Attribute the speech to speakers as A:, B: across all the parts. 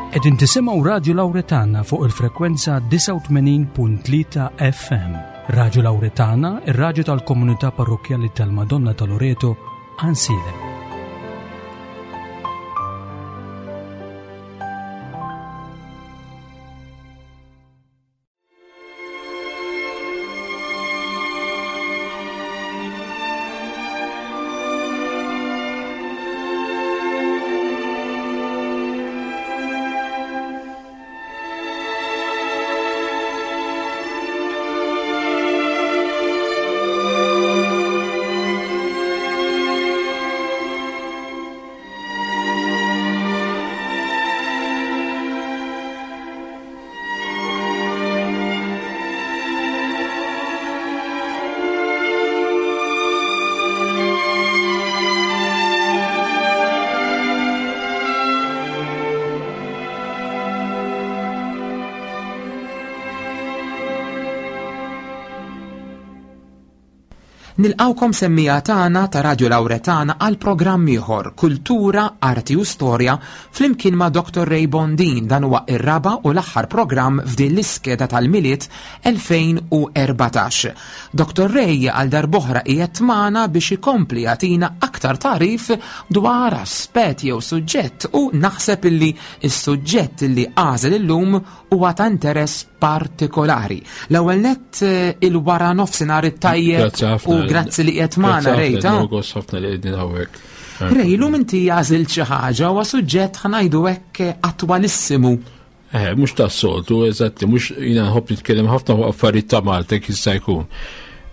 A: Qegħdin tisimgħu Radju Lawretana fuq il-frekwenza 89.3 FM. Radju Lawretana, ir-radju tal-komunità parrokkjali tal-Madonna ta' Loreto, Ansilem.
B: Nilqawkom semmija tagħna ta' Radio Lauretana għal programm ieħor Kultura, Arti u Storja flimkien ma' Dr. Ray Bondin dan huwa ir-raba' u l-aħħar programm f'din l-iskeda tal-Milied 2014. Dr. Ray għal darb'oħra qiegħed magħna biex ikompli jagħtina aktar tagħrif dwar aspett jew suġġett u naħseb illi s-suġġett illi għażel illum huwa ta' interess partikolari. L-ewwel nett eh, il-wara nofsinhar it-tajjeb u grazzi li qiegħed magħna
C: Ray ta' ħafna li qegħdin hawnhekk.
B: Ray, lum inti għażilt xi ħaġa huwa suġġett ħanajdu hekk attwalissimu.
C: Eh, mhux tas-soltu, eżatti, mhux jiena nħobb nitkellem ħafna fuq affarijiet ta' Malta kif jista' jkun.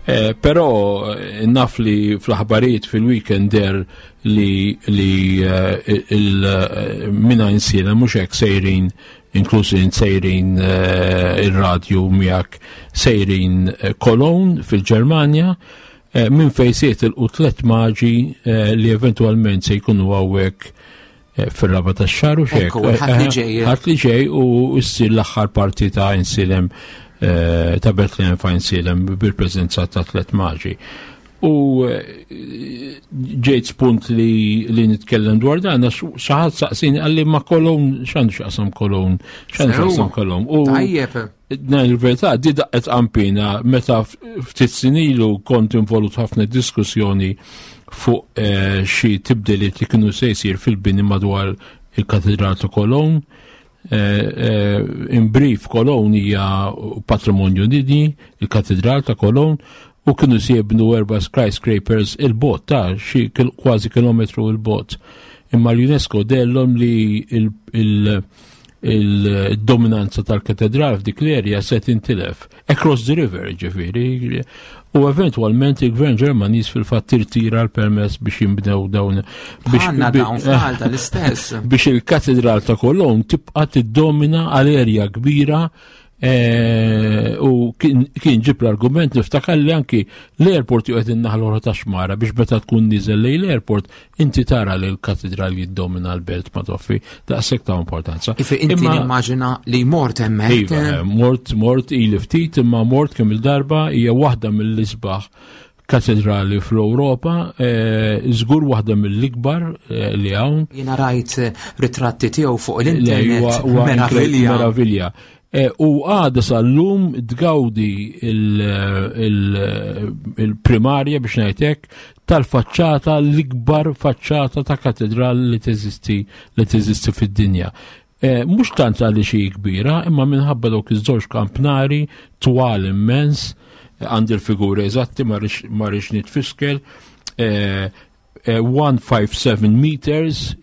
C: Eh, però eh, naf li fl-aħbarijiet fil-weekend der li li eh, il-mina insiela mhux hekk sejrin inkluż sejrin ir-radju miegħek sejrin Cologne fil-Ġermanja minn fejn se jitilqu tlet maġi li eventwalment se jkunu hawnhekk fir-raba tax-xahar u xek.
B: Ħadd
C: li ġej u ssir l-aħħar parti ta' insilem eh, ta' Bethlehem fa' insilem bil-preżenza ta' tlet maġi. U eh, ġejt spunt li, li nitkellem dwar dan, għax xaħat saqsini għalli ma kolon, xandu xaqsam kolon, xandu xaqsam kolon.
B: U Tajjeb.
C: Ngħid il-verità, di daqqet qampina meta ftit sinilu kont involut ħafna diskussjoni fuq eh, xi tibdiliet li kienu se jsir fil-bini madwar il-Katedral ta' Cologne. Eh, eh, in brief, Cologne hija patrimonju dinji, il-Katedral ta' Cologne, u kienu se jibnu erba' skyscrapers il-bot ta' xi kważi kilometru il-bot. Imma l-UNESCO dellhom li il- il-dominanza tal-katedral f'dik l-erja se tintilef. Across the river, ġifiri. U eventualment il-gvern Ġermaniż fil-fatt tirtira l-permess biex jinbnew dawn.
B: Biex dawn f'Malta l-istess.
C: Biex il-katedral ta' Cologne tibqa' tiddomina għal erja kbira Eh, u kien ġib l-argument niftakar li anki l-airport juqgħed in-naħa l-oħra ta' xmara biex meta tkun niżel lejn l-airport inti tara li l-katedral jiddomina l-belt ma toffi daqshekk ta' importanza.
B: Ifi inti nimmaġina li mort hemmhekk.
C: Iva, eh, mort mort ili ftit imma mort kemm il-darba hija waħda mill-isbaħ katedrali fl-Ewropa, eh, żgur waħda mill-ikbar eh, li hawn.
B: Jiena rajt eh, ritratti tiegħu fuq l-internet. Meravilja.
C: Meravilja. U għada sal-lum tgawdi il-primarja biex ngħidlek tal-faċċata l-ikbar faċċata ta' katedral li teżisti li teżisti fid-dinja. Eh, mhux tant għaliex hi kbira, imma minħabba dawk iż-żewġ kampnari twal immens, eh, għandi l-figuri eżatti ma rridx nitfiskel, 157 eh, meters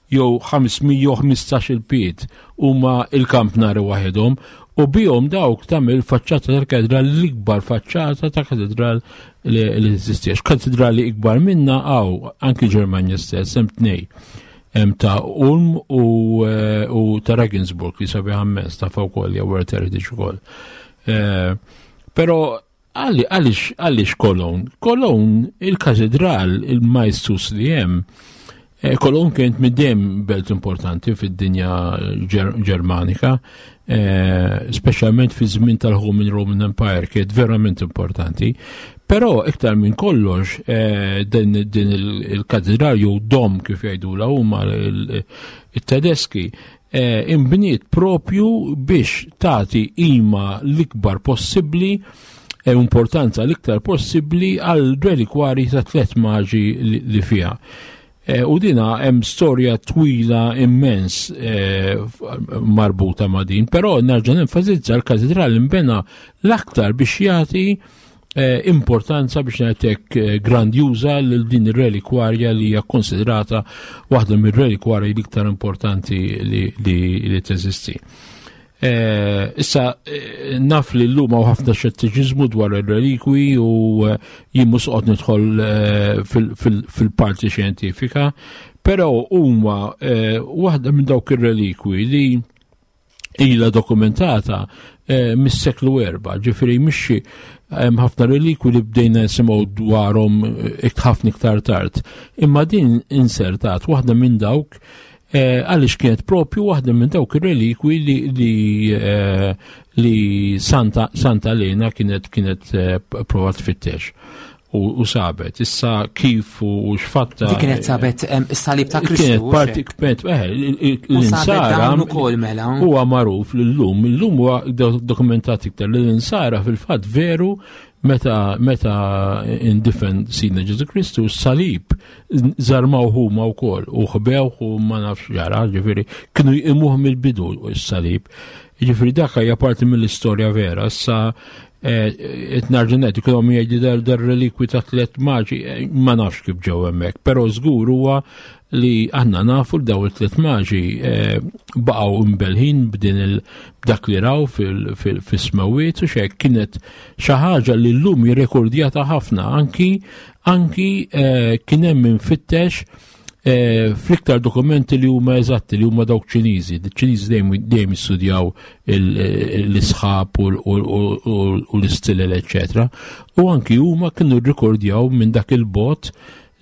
C: jew 515 il-pied huma il-kampnari waħedhom u bihom dawk tagħmel faċċata tal-katedral l-ikbar faċċata ta' katedral li teżisti. Katedrali ikbar minna għaw anki Ġermanja stess hemm tnej. Hemm ta' Ulm u, eh, u ta' Regensburg li sabiħ immens ta' wkoll jew World Heritage ukoll. Eh, però għaliex għaliex Cologne? Cologne il-katedral il-majstus li hemm eh, Cologne kienet middem belt importanti fid-dinja Ġermanika. Eh, speċjalment fi żmien tal-Holy Roman Empire kienet verament importanti. Però iktar minn kollox eh, din, din il-katedral jew dom kif jgħidula huma it-Tedeski eh, imbniet propju biex tagħti ima l-ikbar possibbli e importanza l-iktar possibbli għal relikwari ta' tlet maġi li fiha. Eh, u dina hemm storja twila immens eh, marbuta ma' din, però nerġa' nenfasizza l-katedral imbena l-aktar biex jagħti eh, importanza biex ngħidlek grandjuża lil din ir-relikwarja li hija konsidrata waħda mir-relikwarji l-iktar importanti li, li, li teżisti. Eh, issa, eh, naf li l-lum hawn ħafna xettiċiżmu dwar ir-relikwi u eh, jien mhux qod nidħol fil-parti xjentifika, però huma waħda minn dawk ir-relikwi li ilha dokumentata mis-seklu erba, ġifieri mhix hemm ħafna relikwi li bdejna nisimgħu dwarhom ħafna iktar tard. Imma din insertat waħda minn dawk Eh, għaliex kienet propju waħda minn dawk ir-relikwi li, li, eh, li Santa, Santa Lena kienet kienet eh, provat tfittex u, u sabet. Issa kif u x'fatta.
B: Di kienet sabet is-salib ta' Kristu.
C: Kienet parti kienet l-insara.
B: ukoll mela.
C: Huwa magħruf l-lum, l-lum huwa dokumentat iktar li l-insara fil-fatt veru meta meta indifen Sidna Ġesu Kristu s-salib żarmaw huma wkoll u ħbewh u ma nafx ġara, ġifieri kienu jqimuh mill-bidu s-salib. Ġifieri dak hija parti mill-istorja vera. Issa eh, qed narġa' ngħid kienu jgħidu dar dar relikwi ta' tliet maġi, eh, ma nafx kif ġew hemmhekk, però żgur huwa li aħna nafu li daw it-tliet maġi eh, baqgħu imbelħin b'din il dak li raw fis-smewiet u xek kienet xi ħaġa li llum jirrekordjata ħafna anki anki eh, kien hemm infittex eh, fl-iktar dokumenti li huma eżatti li huma dawk Ċiniżi. Ċiniżi dejjem jistudjaw l-isħab u l-istilel, eċetera. U anki huma kienu rrikordjaw minn dak il-bot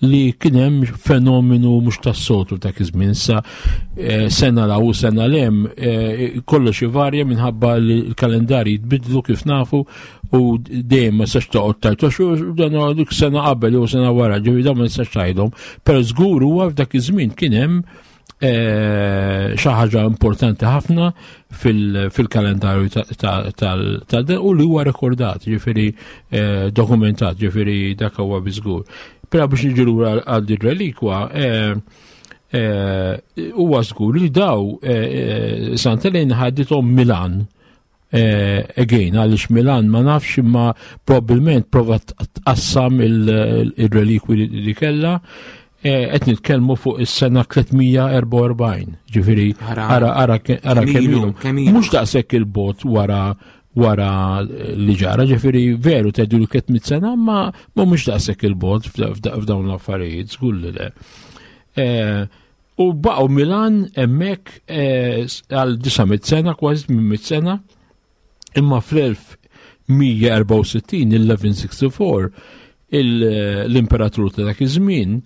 C: li kien hemm fenomenu mhux tas-soltu dak iż-żmien sa eh, sena la u sena lem eh, kollox ivarja minħabba li l-kalendarji jitbidlu kif nafu u dejjem ma sax toqgħod tajt għax dan dik sena qabel jew sena wara ġifieri dawn ma nistax tgħidhom, però żgur huwa f'dak iż-żmien kien hemm eh, xi ħaġa importanti ħafna fil-kalendarju tal u li huwa rekordat, ġifieri eh, dokumentat, ġifieri dak huwa biżgur. Però biex niġu lura għal din relikwa, eh, huwa żgur li daw Sant'Elena ħadithom Milan Eh, again, għaliex Milan ma nafx imma probabbilment prova tqassam il-relikwi li kella eh, qed nitkellmu fuq is-sena 344, ġifieri ara ara ara kemm Mhux daqshekk il-bot wara wara li ġara, ġifieri veru tgħidu li 300 sena, ma ma mhux daqshekk il-bot f'dawn l-affarijiet, żgur li le. Eh, U baqgħu Milan hemmhekk eh, għal 900 sena, kważi 800 sena, imma fl-1164, 1164, l-imperatur ta' dak iż-żmien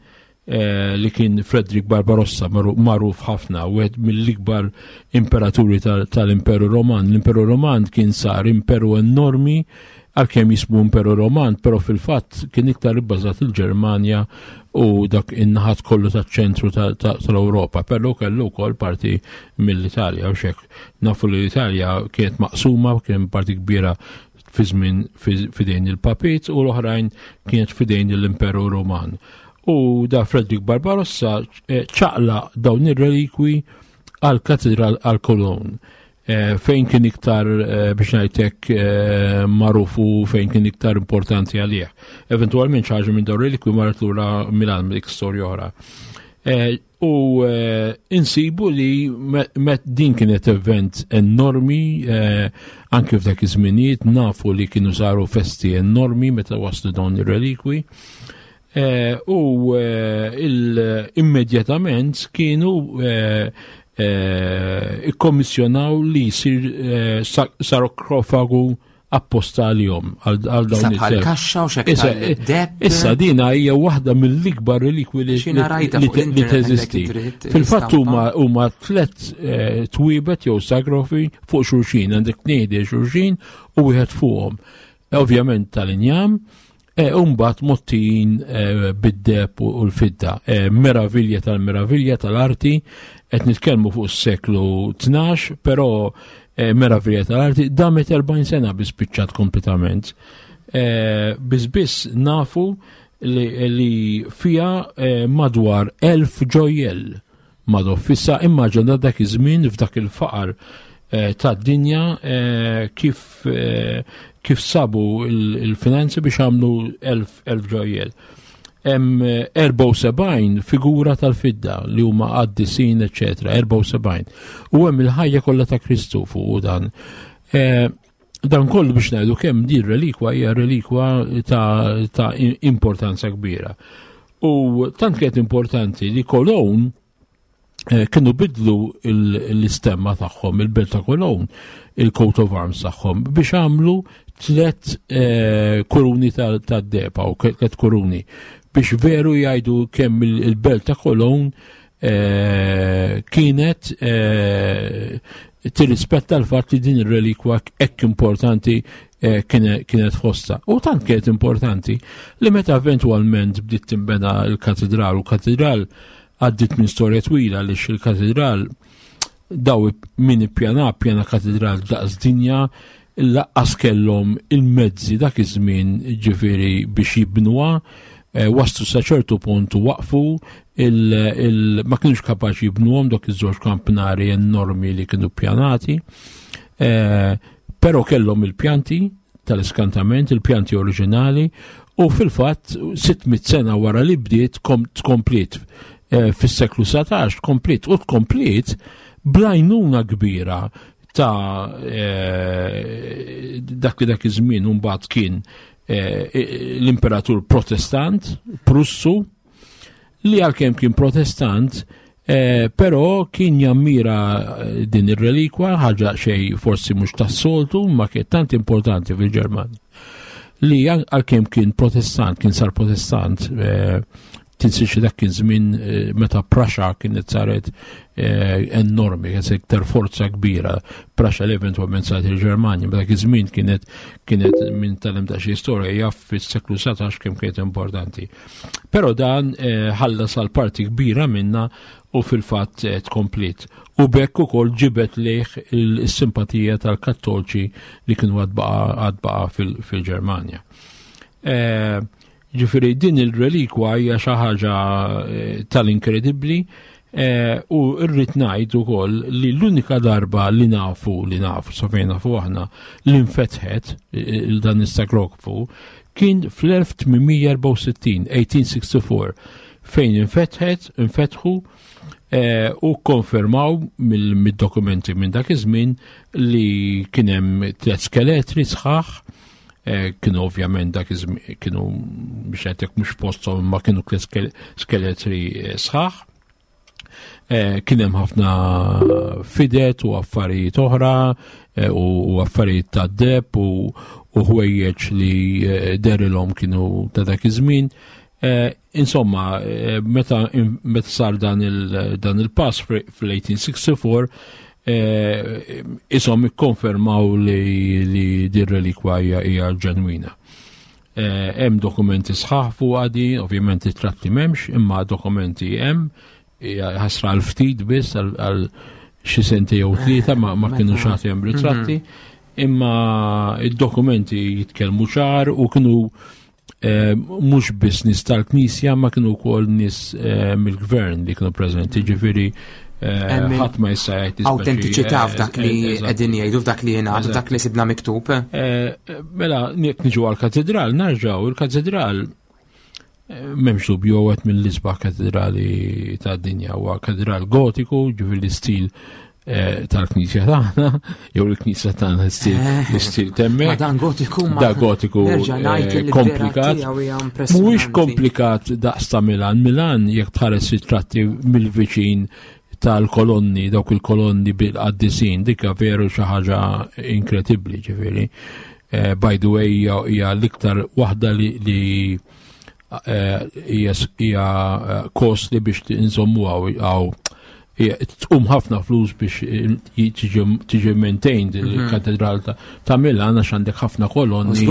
C: eh, li kien Frederick Barbarossa magħruf ħafna, wieħed mill-ikbar imperaturi tal-Imperu Roman. L-Imperu Roman kien sar imperu enormi Għalkemm jismu Imperu Roman, però fil-fatt kien iktar ibbażat il-Ġermanja u dak in-naħat kollu taċ-ċentru tal-Ewropa, però kellu wkoll parti mill-Italja u xek. Nafu li l-Italja kienet maqsuma, kien parti kbira fi żmien fidejn il-Papit u l-oħrajn kienet fidejn l-Imperu Roman. U da Frederick Barbarossa eh, ċaqla dawn ir-relikwi għal katedral għal Cologne. Eh, fejn kien iktar eh, biex ngħidlek eh, magħruf u fejn kien iktar importanti għalih. Eventwalment xi ħaġa minn dawn relikwi marret lura Milan dik storja oħra. U insibu li met din kienet event enormi anke f'dak iż-żminijiet nafu li kienu saru festi enormi meta waslu dawn ir-relikwi. Eh, u eh, immedjatament kienu eh, ikkommissjonaw li jsir sarkofagu. apposta għalihom għal dawn
B: il kaxxa u xekk
C: Issa dina hija waħda mill-ikbar relikwi li li teżisti. Fil-fatt huma tlet eh, twibet jew sagrofi fuq xulxin, għandek tniedi xulxin u wieħed fuqhom. Ovvjament tal-injam, E, Umbat mottijin e, bid-deb u l-fidda. E, meravilja tal-meravilja tal-arti, qed nitkellmu fuq is-seklu 12, però e, meravilja tal-arti damet 40 sena bi spiċċat kompletament. E, biss biss nafu li, li fija e, madwar 1000 ġojjell Madoff. Issa immaġina dak iż-żmien f'dak il-faqar eh, tad-dinja eh, kif eh, kif sabu il-finanzi biex għamlu elf ġojjel. Hemm 74 figura tal-fidda li huma qaddisin, eċetera, 74. U hemm il-ħajja kollha ta' Kristu fuq dan. Dan kollu biex ngħidu kemm din relikwa hija relikwa ta', ta importanza kbira. U tant kienet importanti li Cologne eh, kienu bidlu l-istemma tagħhom, il-belt ta' Cologne, il-coat of arms tagħhom, biex għamlu tlet eh, kuruni tad-depa u tlet kuruni biex veru jgħidu kemm il-belt ta' Cologne eh, kienet eh, tirrispetta l-fatt li din ir-relikwa hekk importanti eh, kienet fosta. U tant kienet importanti li meta eventwalment bdiet timbena l-katedral u katedral għaddit minn storja twila li il-katedral daw min ippjana pjana katedral daqs dinja laqqas kellhom il-mezzi dak iż-żmien ġifieri biex jibnuha, eh, waslu sa ċertu punt u waqfu il, ma kienux kapaċi jibnuhom dok iż-żewġ kampnari enormi li kienu pjanati, eh, però kellhom il-pjanti tal-iskantament, il-pjanti oriġinali, u fil-fatt 600 sena wara li bdiet tkompliet eh, fis-seklu 19 tkompliet u tkompliet blajnuna kbira ta' eh, dak li dak iż-żmien mbagħad kien eh, l-imperatur protestant Prussu li għalkemm kien protestant eh, però kien jammira din ir-relikwa ħaġa xej forsi mhux tas-soltu ma kien tant importanti fil-Ġermanja li għalkemm kien protestant kien sar protestant Tinsiex li dak kien żmien eh, meta Prussia kienet saret eh, enormi, kienet iktar forza kbira. Prussia li eventwalment saret il-Ġermanja, ma dak iż-żmien kienet kienet minn tal-em ta' xi storja jaf fis-seklu 19 kemm kienet importanti. Però dan eh, ħallas għal parti kbira minna u fil-fatt tkomplit. U bekk ukoll ġibet lejh il-simpatija tal-kattolċi li kienu għadbaqa fil-Ġermanja. Ġifieri din il-relikwa hija xi ħaġa eh, tal-inkredibbli eh, u rrid ngħid ukoll li l-unika darba li nafu li nafu sa fejn nafu aħna li nfetħet eh, il dan is-sakrokfu kien fl-1864, 1864, fejn infetħet, infetħu u konfermaw mid-dokumenti minn dak iż-żmien li kien hemm tliet skeletri sħaħ Eh, kienu ovvjament dak kienu biex għetek mhux posthom ma kienu skeletri eh, sħaħ. Eh, kien hemm ħafna fidet u affarijiet oħra u affarijiet ta' deb u ħwejjeġ li derilhom kienu ta' dak iż-żmien. Insomma, meta meta sar dan il-pass fl-1864, eh, isom ikkonfermaw li, li din relikwa hija ġenwina. Eh, hemm dokumenti sħaħ fuq għadi, ovvjament it-tratti m'hemmx, imma dokumenti hemm, ħasra għal ftit biss għal xi senti jew tlieta ma, ma kienu xagħti hemm ritratti, mhm. imma id-dokumenti jitkellmu ċar u kienu Eh, mhux biss nies tal-Knisja ma kienu wkoll nies eh, mill-gvern li kienu preżenti, ġifieri eh, ħadd ma jista' jgħid
B: Awtentiċità f'dak li qegħdin jgħidu f'dak li jingħad f'dak li sibna miktub.
C: Mela jekk niġu għall-katedral narġgħu il-katedral m'hemmx dubju għet mill-isbaħ katedrali tad-dinja huwa katedral gotiku, ġifieri l-istil Eh, tal-knisja tagħna, jew il-knisja tagħna l-istil eh, temmek.
B: Ma dan gotiku
C: ma. Da gotiku eh, komplikat. Mhuwiex komplikat daqs ta' Milan. Milan jekk tħares ritratti mill-viċin tal-kolonni, dawk il-kolonni bil-qaddisin, dikka veru xi ħaġa inkredibbli ġifieri. Eh, by the way, hija l-iktar waħda li eh, hija eh, costly biex inżommu għaw tqum ħafna flus biex tiġi maintained mhm. il-katedral ta' Milan għax għandek ħafna kolonni.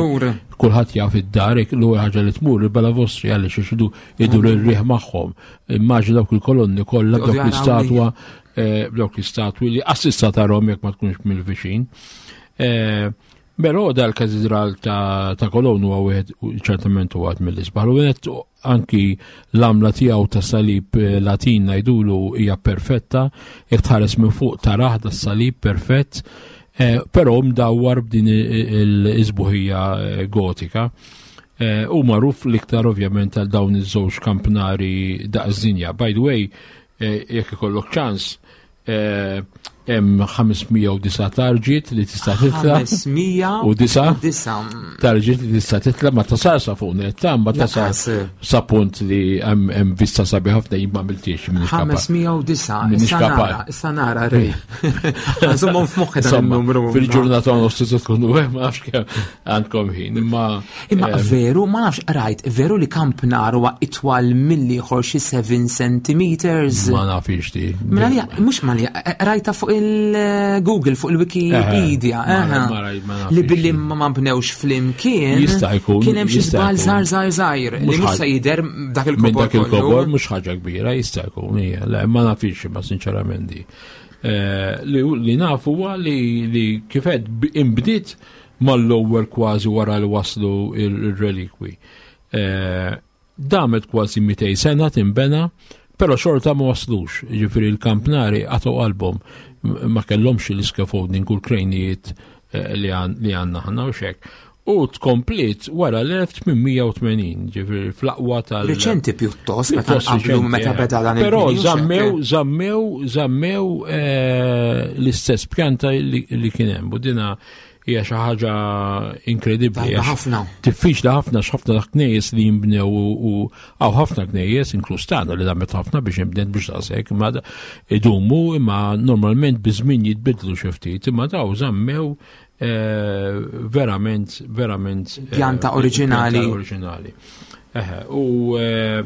C: Kulħadd jaf id-dar, l-ewwel ħaġa li tmur il-bala vostri għaliex ixidu idur mhm. ir-riħ magħhom. Immaġina dawk il-kolonni kollha dawk l-istatwa dawk l-istatwi li assista tarhom jekk ma tkunx mill-viċin. Però dal-katedral ta', ta Kolon huwa wieħed ċertament huwa mill-isbaħ. U wieħed anki l-għamla tiegħu ta' salib eh, Latin ngħidulu hija perfetta, jekk tħares minn fuq taraħ da salib perfett, eh, però mdawwar b'din il-isbuħija eh, gotika. U magħruf l-iktar ovvjament għal dawn iż-żewġ kampnari daqs dinja. By the way, jekk ikollok ċans, Eh, hemm 509 tarġiet li tista' titla.
B: 509
C: tarġiet li tista' titla ma tasal sa fuq netta, ma tasal sa punt li hemm vista sabi ħafna jien ma għamiltiex
B: minn 509 issa nara, issa nara rej. Nżommhom f'moħħi dan
C: il-numru. Fil-ġurnata nofs tista' tkun ma nafx kemm għandkom ħin. Imma
B: Imma eh, veru, ma nafx rajt, veru li kamp nar huwa itwal milli ieħor xi 7 centimeters.
C: Ma nafix di.
B: Mela li mhux ma li eh, rajta fuq il-Google, fuq il-Wikipedia. Eh, li billi ma bnewx flimkien.
C: Jista' jkun.
B: Kien hemm xi żball żgħar żgħar żgħir li mhux se jidher dak il-kobor.
C: Dak il-kobor mhux ħaġa kbira jista' jkun hija. Le ma nafix ma sinċerament di. Li nafu huwa li kifed imbdiet mal-ewwel kważi wara li waslu ir-relikwi. Eh, damet kważi 200 sena tinbena, però xorta ma waslux, ġifieri l-kampnari għatu qalbhom ma kellhomx l-scaffolding u l-krejnijiet eh, li għandna ħna u xek. U tkomplit wara l-1880, ġifieri fl-aqwa tal-
B: Riċenti pjuttost, meta qablu meta eh. beda dan
C: il Però zammew, zammew, zammew l-istess pjanta li kien hemm. U dina hija xi ħaġa inkredibbli.
B: Ħafna.
C: Diffiċli ħafna x'ħafna knejjes li jinbnew u hawn ħafna knejjes inkluż tagħna li damet ħafna biex inbnet biex daqshekk imma idumu imma normalment biż-żmien jitbidlu xi ftit imma daw żammew eh, verament verament
B: eh, pjanta oriġinali.
C: Oriġinali. U eh,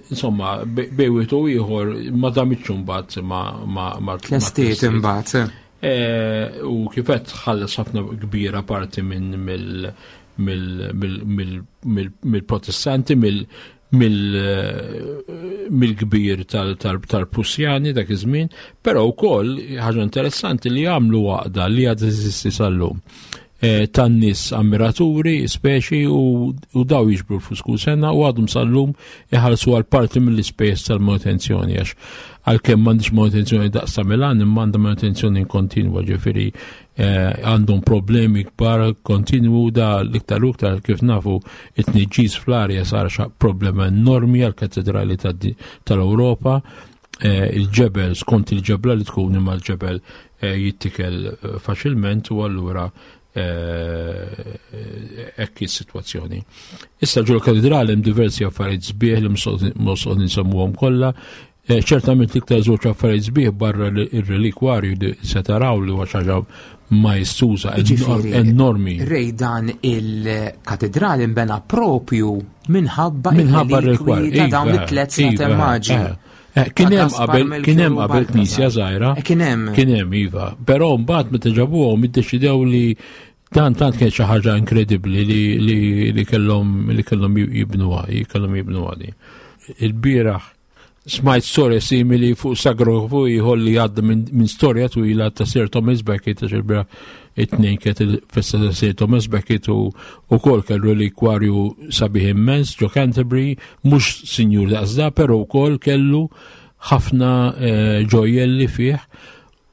C: insomma, bejwiet u ieħor ma damitx imbagħad ma ma
B: Tlestiet imbagħad.
C: Eh, u kifet ħalles ħafna kbira parti minn mill-Protestanti, mill-kbir tal-Prussjani dak iż-żmien, però wkoll ħaġa interessanti li għamlu għaqda li għad eżisti sal-lum. Eh, tan-nies ammiraturi, speċi u, u daw jiġbru l-flus kull sena u għadhom sal-lum iħallsu għal parti mill-ispejjeż tal-manutenzjoni għax għalkemm m'għandix manutenzjoni daqs ta' Milan imma għandha manutenzjoni kontinwa ġifieri eh, għandhom problemi kbar kontinwu da l-iktar u iktar kif nafu it-tniġġis fl-arja sar problema enormi għall-katedrali tal-Ewropa eh, il-ġebel skont il-ġebla li tkun imma l-ġebel eh, jittikel eh, faċilment u allura hekk is-sitwazzjoni. Issa ġol katedrali hemm diversi affarijiet sbieħ li mhux insemmuhom kollha. Ċertament l-iktar żewġ affarijiet sbieħ barra ir-relikwarju li se taraw li huwa xi ħaġa maestuża enormi.
B: Rej dan il-katedrali nbena propju minħabba minħabba r-relikwarju ta' dawn iva, it-tlet iva, maġi. Eh.
C: Eh, kien hemm qabel kien hemm qabel knisja żgħira.
B: Eh, kien hemm.
C: Kien hemm iva. Però mbagħad meta ġabuhom iddeċidew li dan tant kien xi ħaġa inkredibbli li li li kellhom li kellhom jibnuha, kellhom jibnuha di. Il-bieraħ smajt storja simili fuq sagrofu ieħor li għadda minn storja twila ta' Sir Thomas Becket għax il-bieraħ it-tnejn kienet il-festa ta' Sir Thomas Becket u wkoll kellu relikwarju sabiħ immens ġo Canterbury, mhux sinjur daqs da, però wkoll kellu ħafna eh, ġojjelli fih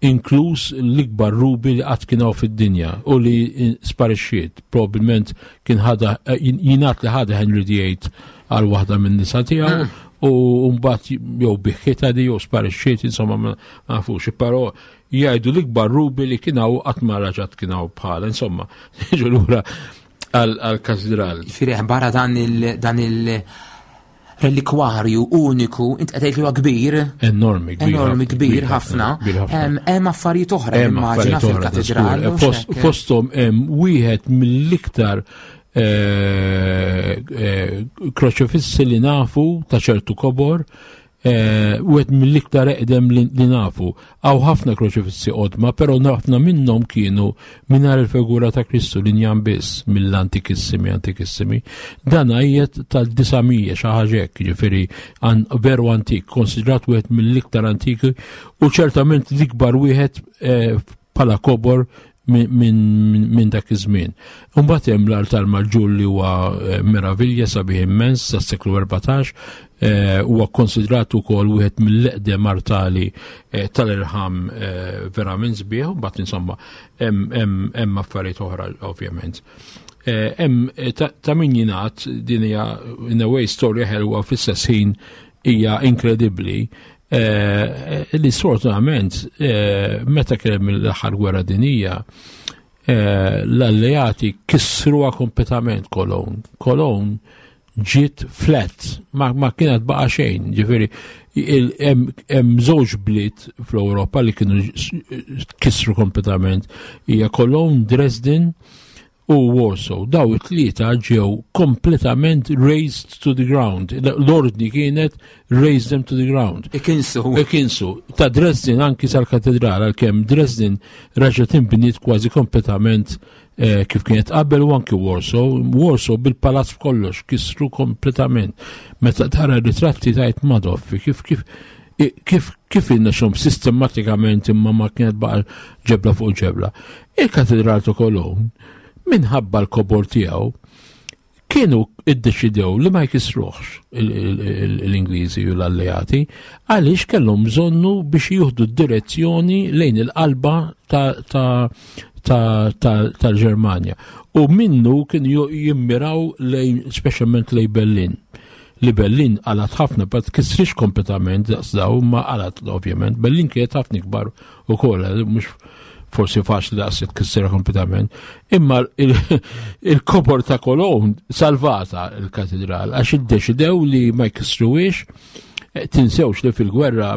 C: inkluż l-ikbar rubi li qatt kien hawn fid-dinja u li sparixxiet. Probabbilment kien ħada eh, jingħad li ħada Henry VIII għal waħda minn nisa tiegħu ah. u mbagħad jew biħħitha di jew sparixxiet, insomma ma nafux. Però jgħidu l-ikbar rubi li kien hawn qatt ma raġat kien hawn bħala, insomma, niġu lura għal-katedral.
B: Firih barra dan il dan il Relikwarju uniku, int qed tgħid li huwa kbir.
C: Enormi
B: kbir. Enormi kbir ħafna. Hemm affarijiet oħra immaġina fil-katedral.
C: Fosthom hemm wieħed mill-iktar eh, eh, kroċifissi li nafu ta' ċertu kobor Eh, wieħed mill-iktar eqdem li nafu. Għaw ħafna kroċifissi qodma, però ħafna minnhom kienu mingħajr il-figura ta' Kristu li njam biss mill-antikissimi antikissimi. Dan għajjet tal-900 xi ħaġa hekk, ġifieri veru antik, konsidrat wieħed mill-iktar antiki u ċertament l-ikbar wieħed eh, bħala kobor minn dak iż-żmien. Imbagħad hemm l-altar maġġur li huwa eh, meravilja sabiħ immens sas-seklu 14, eh, huwa konsidrat ukoll wieħed mill-eqdem artali eh, tal-irħam verament sbieħ, mbagħad insomma hemm affarijiet oħra ovvjament. Hemm ta' min jingħad din hija in a way storja ħelwa fl-istess ħin hija inkredibbli Eh, li sfortunatament eh, meta kien hemm l-aħħar gwerra dinija eh, l-alleati kissruha kompletament Cologne. Cologne ġiet flat, ma, ma kienet baqa xejn, ġifieri hemm żewġ bliet fl-Ewropa li kienu kissru kompletament hija Cologne, Dresden u Warsaw. Daw it-tlieta ġew kompletament raised to the ground. L-ordni kienet raise them to the ground.
B: Ikinsu.
C: Ikinsu. Ta' Dresden anki sal-katedral, għalkemm Dresden raġa tinbniet kważi kompletament eh, kif kienet qabel u anki Warsaw. Warsaw bil-palazz kollox kisru kompletament. Meta tara ritratti tajt Madoffi kif kif kif kif xom sistematikament imma ma kienet baqa ġebla fuq ġebla. Il-Katedral ta' Cologne, minħabba l-kobor tiegħu, kienu iddeċidew li ma jkissruhx l-Ingliżi u l-alleati għaliex kellhom bżonnu biex jieħdu d-direzzjoni lejn il-qalba tal-Ġermanja. U minnu kienu jimmiraw lejn speċjalment lejn Berlin. Li Berlin qalat ħafna, pa tkissrix kompletament daqs daw, ma qalat ovvjament. Berlin kienet ħafna ikbar ukoll, mhux forsi faċli daqs tkissirha kompletament. Imma il-kobor ta' Cologne salvata il-katedral għax iddeċidew li ma jkissruwiex, eh, tinsewx li fil-gwerra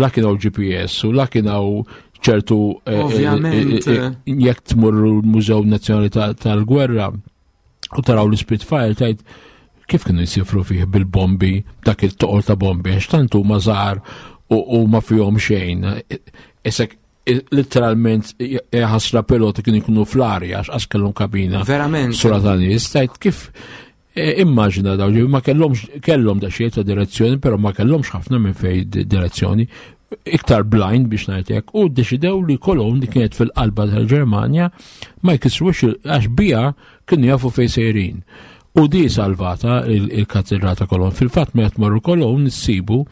C: la kien hawn GPS u la kien hawn ċertu
B: eh, eh, Ovvjament.
C: jekk tmurru l-Mużew Nazzjonali tal-Gwerra u taraw l-Spitfire tajt kif kienu jsifru fih bil-bombi, dak il-toqol ta' bombi, għax tant huma żgħar u ma fihom xejn. Isek literalment ħasra piloti kienu jkunu fl-arja għax qas kellhom kabina.
B: Verament.
C: Sura ta' nies, tajt kif e, immaġina daw ma kellhomx kellhom da xejn ta' direzzjoni, però ma kellhomx ħafna minn fej direzzjoni iktar blind biex ngħid hekk u ddeċidew li Cologne li kienet fil-qalba tal-Ġermanja ma jkissrux għax bija kienu jafu fejn sejrin. U di salvata il-katedral ta' Cologne. Fil-fatt meta tmorru Cologne nissibu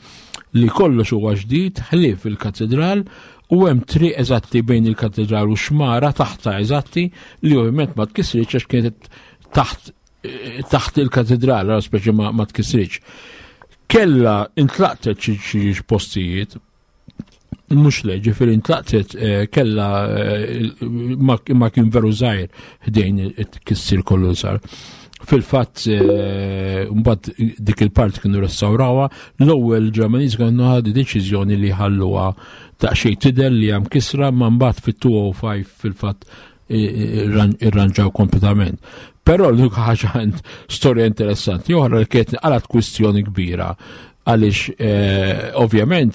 C: li kollox huwa ġdid ħlief il-katedral u hemm triq eżatti bejn il-katedral u xmara taħta eżatti li ovvjament ma tkissritx għax kienet taħt taħt il-katedral, għal speċi ma, ma tkissritx. Kella intlaqtet xi postijiet, mhux le, ġifieri intlaqtet eh, kella eh, ma kien veru żgħir ħdejn it-tkissir kollu sar. Fil-fatt, eh, mbagħad dik il-part kienu restawrawha, l-ewwel Ġermaniż kienu ħadu deċiżjoni li ħalluha daqsxejn tidher li hemm kisra, ma mbagħad fit-205 fil-fatt irranġaw kompletament. Però l-unika ħaġa storja interessanti oħra li kienet qalat kwistjoni kbira għaliex eh, ovvjament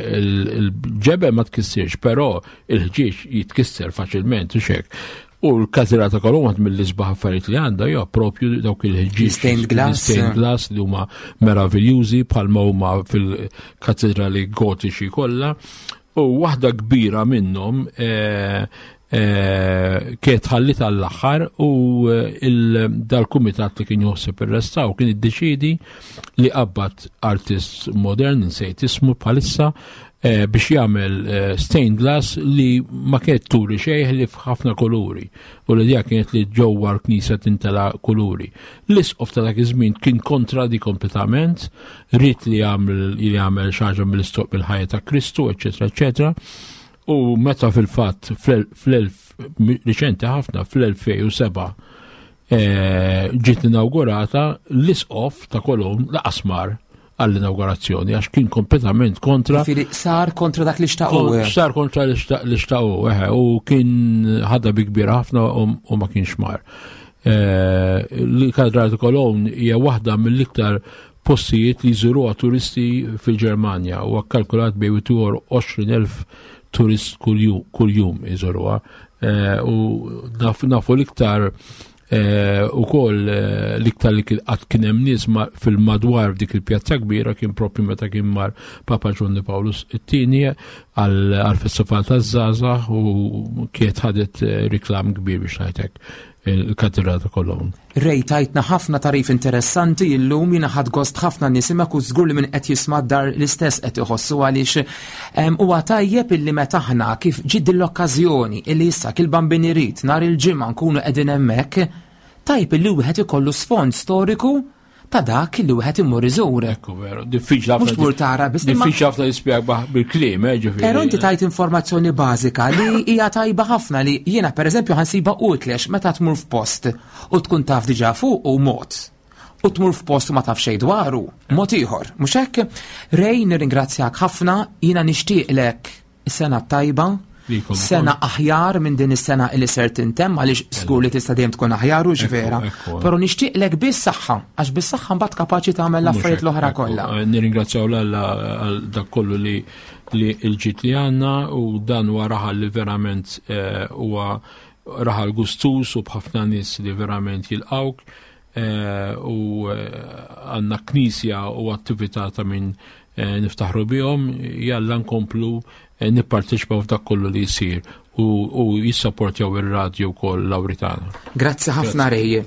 C: il-ġebel ma tkissirx, però il-ħġieġ jitkisser faċilment u xek. U l-kazira ta' Kolomba mill-isbaħ affarijiet li għandha hija propju dawk il-ħġieġ.
B: Stained glass.
C: Stained glass li huma meraviljużi bħalma huma fil-katedrali gotiċi kollha. U waħda kbira minnhom eh, eh, kienet ħallit għall-aħħar u eh, dal-kumitat li kien joħseb ir-restaw kien iddeċidi li qabad artist modern insejt ismu bħalissa biex jagħmel stained glass li ma kienet turi xejn li f'ħafna kuluri u l-idea kienet li ġewwa l-knisja tintela kuluri. L-isqof ta' dak iż-żmien kien kontra di kompletament, ried li jagħmel li jagħmel xi ħaġa mill-istoq mill-ħajja ta' Kristu, eċetera, eċetera. U meta fil-fatt fl-elf riċenti ħafna fl-2007 eh, ġiet inaugurata l-isqof ta' Kolon laqas mar għall-inaugurazzjoni għax kien kompletament kontra.
B: Ġifieri sar kontra dak li xtaqu.
C: Sar kontra li xtaqu, u kien ħadha bi kbira ħafna u ma kienx mar. Eh, L-Katedral ta' Kolon hija waħda mill-iktar postijiet li jżuruha turisti fil-Ġermanja u kkalkulat bejn 20,000 turist kuljum iżuruha. Eh, u nafu l-iktar eh, u koll eh, l-iktar li qatt kien hemm nies fil-madwar dik il-pjazza kbira kien propju meta kien mar Papa Ġwanni Pawlus it-tieni għal-festival taż-żgħażagħ u kienet ħadet riklam kbir biex ngħidlek il-katedral ta' Cologne.
B: Ray tajtna ħafna tagħrif interessanti illum jiena ħadt gost ħafna nisimak u żgur li min qed jisma' dar l-istess qed iħossu għaliex huwa tajjeb illi meta aħna kif ġiet din l-okkażjoni illi issa kil bambin irid nhar il-ġimgħa nkunu qegħdin hemmhekk tajjeb illi wieħed ikollu sfond storiku ta' dak li wieħed imur iżur.
C: Ekku veru, diffiċli ħafna.
B: Mhux tmur tara
C: biss. Diffiċli ħafna jispjega bil-kliem, eh, ġifieri.
B: Però inti tajt informazzjoni bażika li hija tajba ħafna li jiena pereżempju ħansiba utli għax meta tmur f'post u tkun taf diġà fuq u mod u tmur f'post u ma taf xejn dwaru, mod ieħor. Mhux hekk? Rej nirringrazzjak ħafna, jiena nixtieqlek Is-sena t-tajba, sena aħjar minn din is-sena li ser tintemm għaliex żgur li tista' dejjem tkun aħjar u vera. Però nixtieqlek biss saħħa għax bis-saħħa mbagħad kapaċi tagħmel l-affarijiet l-oħra kollha.
C: Eh, nirringrazzjaw l-Alla għal dak kollu li li l-ġid li għandna u dan huwa raħal li verament eh, huwa raħal gustus u b'ħafna nies li verament jilqawk eh, u għandna knisja u attività ta' min Eh, niftaħru bihom, jalla nkomplu eh, nipparteċipaw f'dak kollu li jsir u jissapportjaw ir-radju wkoll Lawritana.
B: Grazzi ħafna Rej.